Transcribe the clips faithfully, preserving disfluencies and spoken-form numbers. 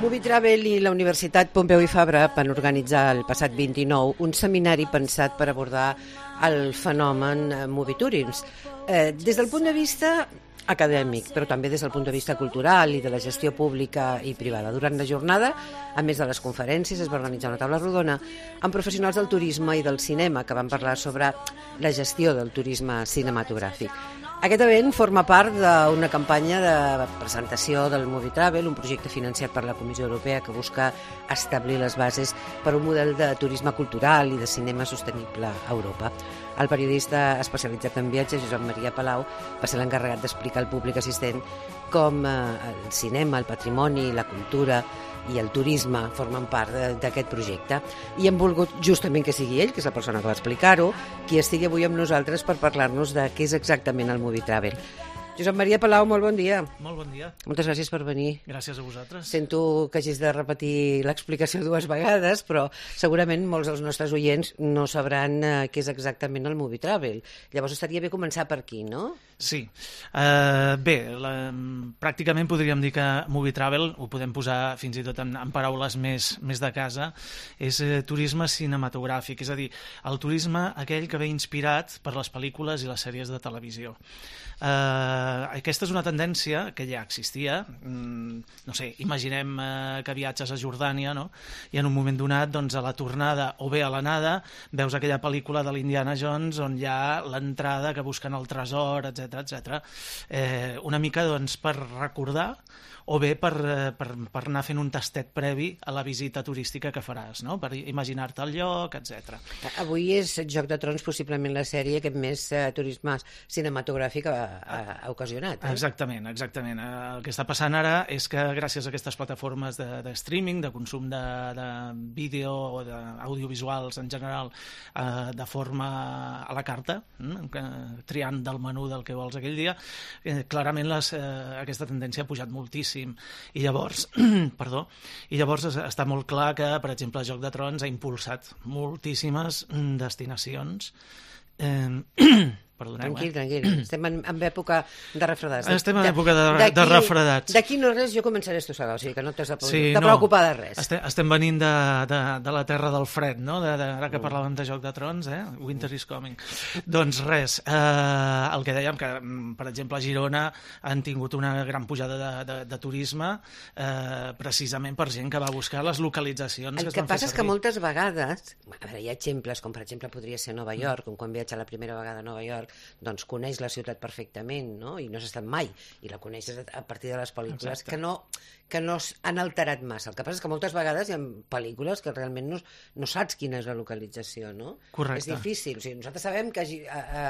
Movie Travel i la Universitat Pompeu i Fabra van organitzar el passat vint-i-nou un seminari pensat per abordar el fenomen Movie Tourism. Eh, des del punt de vista acadèmic, però també des del punt de vista cultural i de la gestió pública i privada. Durant la jornada, a més de les conferències, es va organitzar una taula rodona amb professionals del turisme i del cinema que van parlar sobre la gestió del turisme cinematogràfic. Aquest event forma part d'una campanya de presentació del Movie Travel, un projecte financiat per la Comissió Europea que busca establir les bases per un model de turisme cultural i de cinema sostenible a Europa. El periodista especialitzat en viatges, Josep Maria Palau, va ser l'encarregat d'explicar al públic assistent com el cinema, el patrimoni, la cultura i el turisme formen part d'aquest projecte. I hem volgut justament que sigui ell, que és la persona que va explicar-ho, qui estigui avui amb nosaltres per parlar-nos de què és exactament el Movie Travel. Josep Maria Palau, molt bon dia. Molt bon dia. Moltes gràcies per venir. Gràcies a vosaltres. Sento que hagis de repetir l'explicació dues vegades, però segurament molts dels nostres oients no sabran eh, què és exactament el Movie Travel. Llavors estaria bé començar per aquí, no? Sí. Uh, bé, la, pràcticament podríem dir que Movie Travel, ho podem posar fins i tot en, en paraules més, més de casa, és eh, turisme cinematogràfic, és a dir, el turisme aquell que ve inspirat per les pel·lícules i les sèries de televisió. Uh, aquesta és una tendència que ja existia. Mm, no sé, imaginem uh, que viatges a Jordània, no? I en un moment donat, doncs, a la tornada o bé a l'anada, veus aquella pel·lícula de l'Indiana Jones on hi ha l'entrada que busquen el tresor, etcètera, etcètera. Eh, una mica, doncs, per recordar o bé per, per, per anar fent un tastet previ a la visita turística que faràs, no? Per imaginar-te el lloc, etcètera. Avui és Joc de Trons, possiblement la sèrie que més eh, turisme cinematogràfic ha, ha, ha ocasionat. Eh? Exactament, exactament. El que està passant ara és que gràcies a aquestes plataformes de, de streaming, de consum de, de vídeo o d'audiovisuals en general, eh, de forma a la carta, eh, triant del menú del que vols aquell dia, eh, clarament les, eh, aquesta tendència ha pujat moltíssim. I llavors, perdó, i llavors està molt clar que, per exemple, Joc de Trons ha impulsat moltíssimes destinacions. Eh, Perdoneu, tranquil, eh? tranquil. Estem en, en època de refredats. Estem en època de, de refredats. D'aquí no res, jo començaré a estossegar, o sigui que no t'has de, sí, de no, preocupar de res. Estem, estem venint de, de, de la terra del fred, no? De, de, ara que parlàvem de Joc de Trons, eh? Winter is coming. Doncs res, eh, el que dèiem, que per exemple a Girona han tingut una gran pujada de, de, de turisme eh, precisament per gent que va buscar les localitzacions el que, que es van passa fer és que servir. moltes vegades, a veure, hi ha exemples, com per exemple podria ser Nova York, com quan viatja la primera vegada a Nova York, doncs coneix la ciutat perfectament, no? I no has estat mai, i la coneixes a partir de les pel·lícules. Exacte. que no que no han alterat massa. El que passa és que moltes vegades hi ha pel·lícules que realment no, no saps quina és la localització, no? Correcte. És difícil. O sigui, nosaltres sabem que a, a,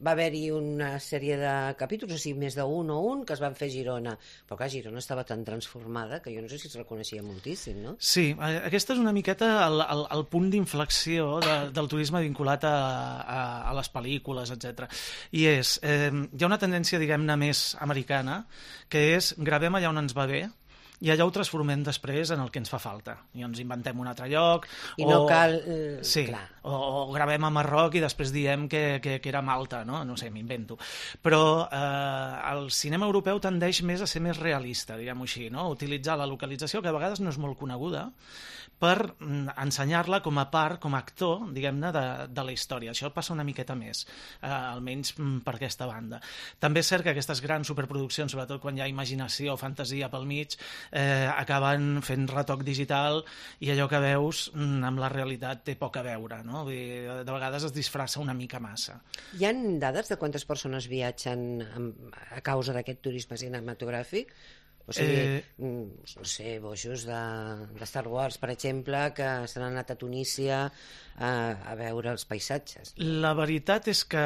va haver-hi una sèrie de capítols, o sigui, més d'un o un, que es van fer a Girona. Però clar, Girona estava tan transformada que jo no sé si es reconeixia moltíssim, no? Sí, aquesta és una miqueta el, el, el punt d'inflexió de, del turisme vinculat a, a, a les pel·lícules, etcètera. I és, eh, hi ha una tendència, diguem-ne, més americana, que és gravem allà on ens va bé, i allà ho transformem després en el que ens fa falta. I ens inventem un altre lloc. I o, no cal... Eh, sí, clar. o, o gravem a Marroc i després diem que, que, que era Malta, no? No sé, m'invento. Però eh, el cinema europeu tendeix més a ser més realista, diguem-ho així, no? Utilitzar la localització, que a vegades no és molt coneguda, per ensenyar-la com a part, com a actor, diguem-ne, de, de la història. Això passa una miqueta més, eh, almenys per aquesta banda. També és cert que aquestes grans superproduccions, sobretot quan hi ha imaginació o fantasia pel mig, eh, acaben fent retoc digital i allò que veus amb la realitat té poc a veure, no? Vull dir, de vegades es disfressa una mica massa. Hi ha dades de quantes persones viatgen a causa d'aquest turisme cinematogràfic? O sigui, eh... no sé, boixos de, de Star Wars, per exemple, que s'han anat a Tunísia a, a veure els paisatges. La veritat és que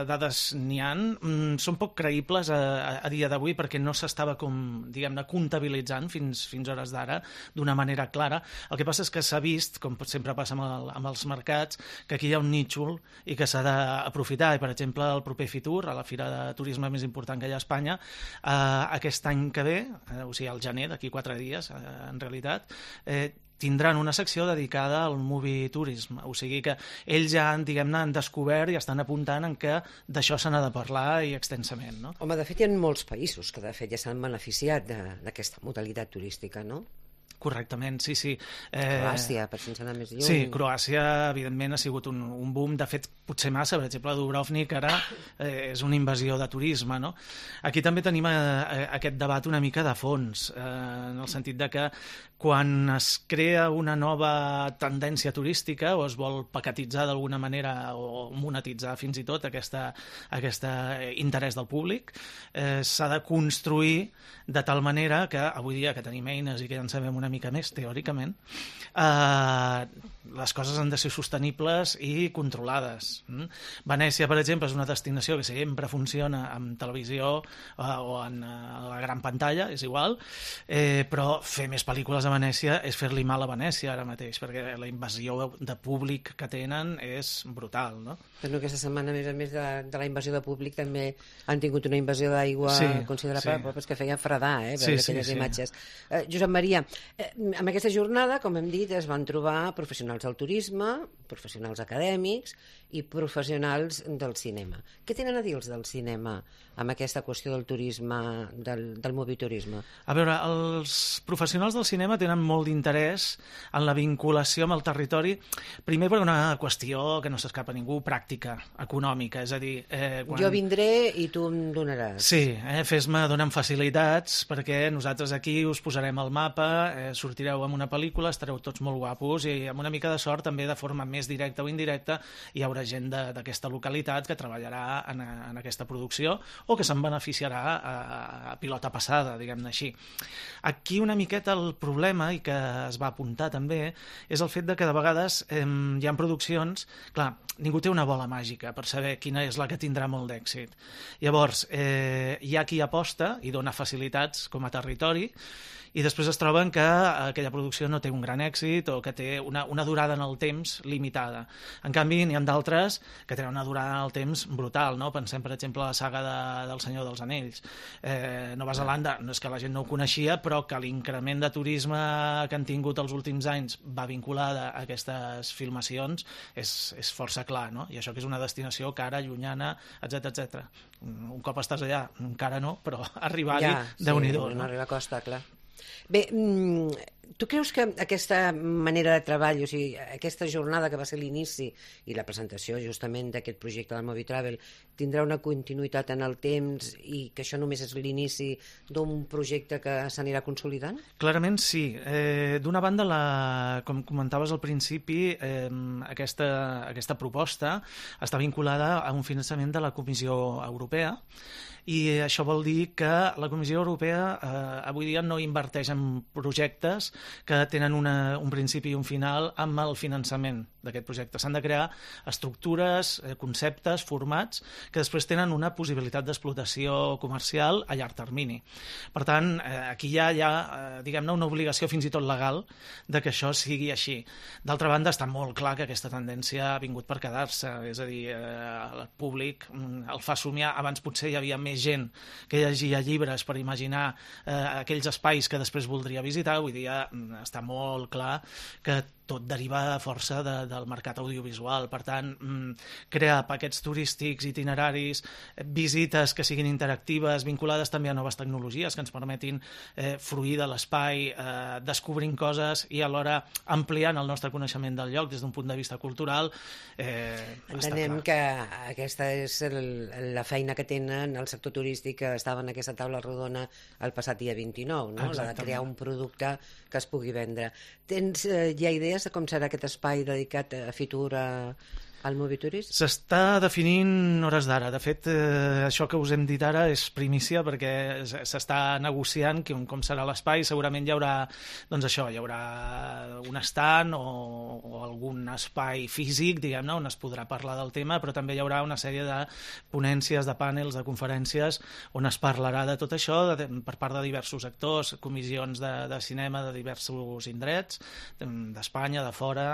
dades n'hi ha, són poc creïbles a, a dia d'avui perquè no s'estava com, diguem-ne, comptabilitzant fins, fins hores d'ara d'una manera clara. El que passa és que s'ha vist, com sempre passa amb, el, amb els mercats, que aquí hi ha un nítxol i que s'ha d'aprofitar. I, per exemple, el proper Fitur, a la fira de turisme més important que hi ha a Espanya, eh, aquest any que ve, eh, o sigui, al gener, d'aquí quatre dies, eh, en realitat, eh, tindran una secció dedicada al movie tourism, o sigui que ells ja, diguem-ne, han descobert i estan apuntant en que d'això se n'ha de parlar i extensament, no? Home, de fet, hi ha molts països que de fet ja s'han beneficiat d'aquesta modalitat turística, no? correctament, sí, sí. Eh... Croàcia, per sense anar més lluny. Sí, Croàcia, evidentment, ha sigut un, un boom, de fet, potser massa, per exemple, Dubrovnik ara eh, és una invasió de turisme, no? Aquí també tenim eh, aquest debat una mica de fons, eh, en el sentit de que quan es crea una nova tendència turística o es vol paquetitzar d'alguna manera o monetitzar fins i tot aquesta, aquesta interès del públic, eh, s'ha de construir de tal manera que avui dia que tenim eines i que ja en sabem una mica més teòricament, eh, les coses han de ser sostenibles i controlades. Mm? Venècia, per exemple, és una destinació que sempre funciona en televisió eh, o en eh, la gran pantalla, és igual, eh, però fer més pel·lícules a Venècia és fer-li mal a Venècia ara mateix, perquè la invasió de públic que tenen és brutal, no? Però aquesta setmana, a més a més de, de la invasió de públic, també han tingut una invasió d'aigua sí, considerable, sí. Però que feia fredar, eh, veure sí, aquelles sí, imatges. Sí. Eh, Josep Maria, eh, en aquesta jornada, com hem dit, es van trobar professionals del turisme, professionals acadèmics i professionals del cinema. Què tenen a dir els del cinema amb aquesta qüestió del turisme, del, del moviturisme? A veure, els professionals del cinema tenen molt d'interès en la vinculació amb el territori, primer per una qüestió que no s'escapa a ningú, pràctica, econòmica, és a dir... Eh, quan... Jo vindré i tu em donaràs. Sí, eh, fes-me, dona'm facilitats, perquè nosaltres aquí us posarem al mapa, eh, sortireu amb una pel·lícula, estareu tots molt guapos i amb una mica de sort també de forma més directa o indirecta hi haurà gent d'aquesta localitat que treballarà en, en aquesta producció o que se'n beneficiarà a, a pilota passada, diguem-ne així. Aquí una miqueta el problema, i que es va apuntar també, és el fet de que de vegades eh, hi ha produccions... Clar, ningú té una bola màgica per saber quina és la que tindrà molt d'èxit. Llavors, eh, hi ha qui aposta i dona facilitats com a territori i després es troben que aquella producció no té un gran èxit o que té una, una durada en el temps limitada. En canvi, n'hi ha d'altres que tenen una durada en el temps brutal, no? Pensem, per exemple, a la saga de, del Senyor dels Anells. Eh, Nova Zelanda, no és que la gent no ho coneixia, però que l'increment de turisme que han tingut els últims anys va vinculada a aquestes filmacions és, és força clar, no? I això que és una destinació cara, llunyana, etcètera, etcètera. Un cop estàs allà, encara no, però arribar-hi, ja, sí, déu-n'hi-do. No arriba a costa, clar. Bé, tu creus que aquesta manera de treball, o sigui, aquesta jornada que va ser l'inici i la presentació justament d'aquest projecte del Movitravel tindrà una continuïtat en el temps i que això només és l'inici d'un projecte que s'anirà consolidant? Clarament sí. Eh, D'una banda, la, com comentaves al principi, eh, aquesta, aquesta proposta està vinculada a un finançament de la Comissió Europea i això vol dir que la Comissió Europea eh, avui dia no inverteix en projectes que tenen una, un principi i un final amb el finançament d'aquest projecte. S'han de crear estructures, eh, conceptes, formats que després tenen una possibilitat d'explotació comercial a llarg termini. Per tant, eh, aquí hi ha, hi ha eh, diguem-ne, una obligació fins i tot legal de que això sigui així. D'altra banda, està molt clar que aquesta tendència ha vingut per quedar-se, és a dir, eh, el públic el fa somiar. Abans potser hi havia més gent que llegia llibres per imaginar eh, aquells espais que després voldria visitar. Avui dia està molt clar que tot deriva força de, del mercat audiovisual. Per tant, crear paquets turístics, itineraris, visites que siguin interactives, vinculades també a noves tecnologies que ens permetin eh, fruir de l'espai, eh, descobrint coses i alhora ampliant el nostre coneixement del lloc des d'un punt de vista cultural. Eh, Entenem que aquesta és el, la feina que tenen el sector turístic que estava en aquesta taula rodona el passat dia vint-i-nou, no? La de crear un producte que es pugui vendre. Tens eh, ja idees de com serà aquest espai dedicat a Fitur a, al Moviturisme? S'està definint hores d'ara. De fet, eh, això que us hem dit ara és primícia perquè s'està negociant com, com serà l'espai. Segurament hi haurà, doncs això, hi haurà un stand o, o algun espai físic, diguem-ne, on es podrà parlar del tema, però també hi haurà una sèrie de ponències, de panels, de conferències on es parlarà de tot això de, per part de diversos actors, comissions de, de cinema de diversos indrets, d'Espanya, de fora,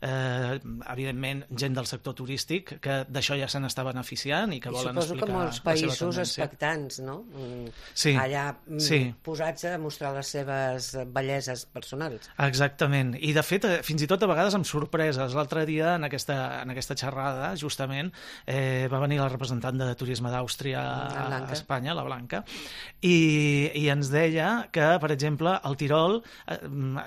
eh, evidentment, gent del sector turístic, que d'això ja se n'està beneficiant i que I volen suposo explicar que molts la seva països tendència. expectants, no? Mm, Sí, allà mm, sí. posats a mostrar les seves belleses personals. Exactament, i de fet, eh, fins i tot a vegades amb sorpreses. L'altre dia, en aquesta, en aquesta xerrada, justament, eh, va venir la representant de Turisme d'Àustria La a Blanca. Espanya, la Blanca, i, i ens deia que, per exemple, al Tirol eh,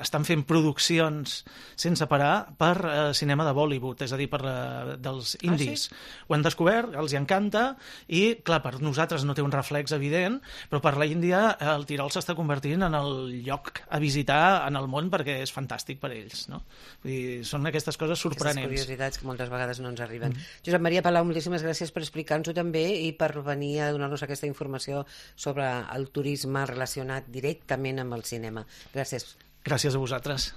estan fent produccions sense parar per eh, cinema de Bollywood, és a dir, per eh, dels indis. Ah, sí? Ho han descobert, els hi encanta, i, clar, per nosaltres no té un reflex evident, però per la Índia eh, el Tirol s'està convertint en el lloc a visitar en el món perquè és fantàstic per ells, no? Vull dir, són aquestes coses sorprenents. Aquestes curiositats que moltes vegades no ens arriben. Mm. Josep Maria Palau, moltíssimes gràcies per explicar-nos-ho també i per venir a donar-nos aquesta informació sobre el turisme relacionat directament amb el cinema. Gràcies. Gràcies a vosaltres.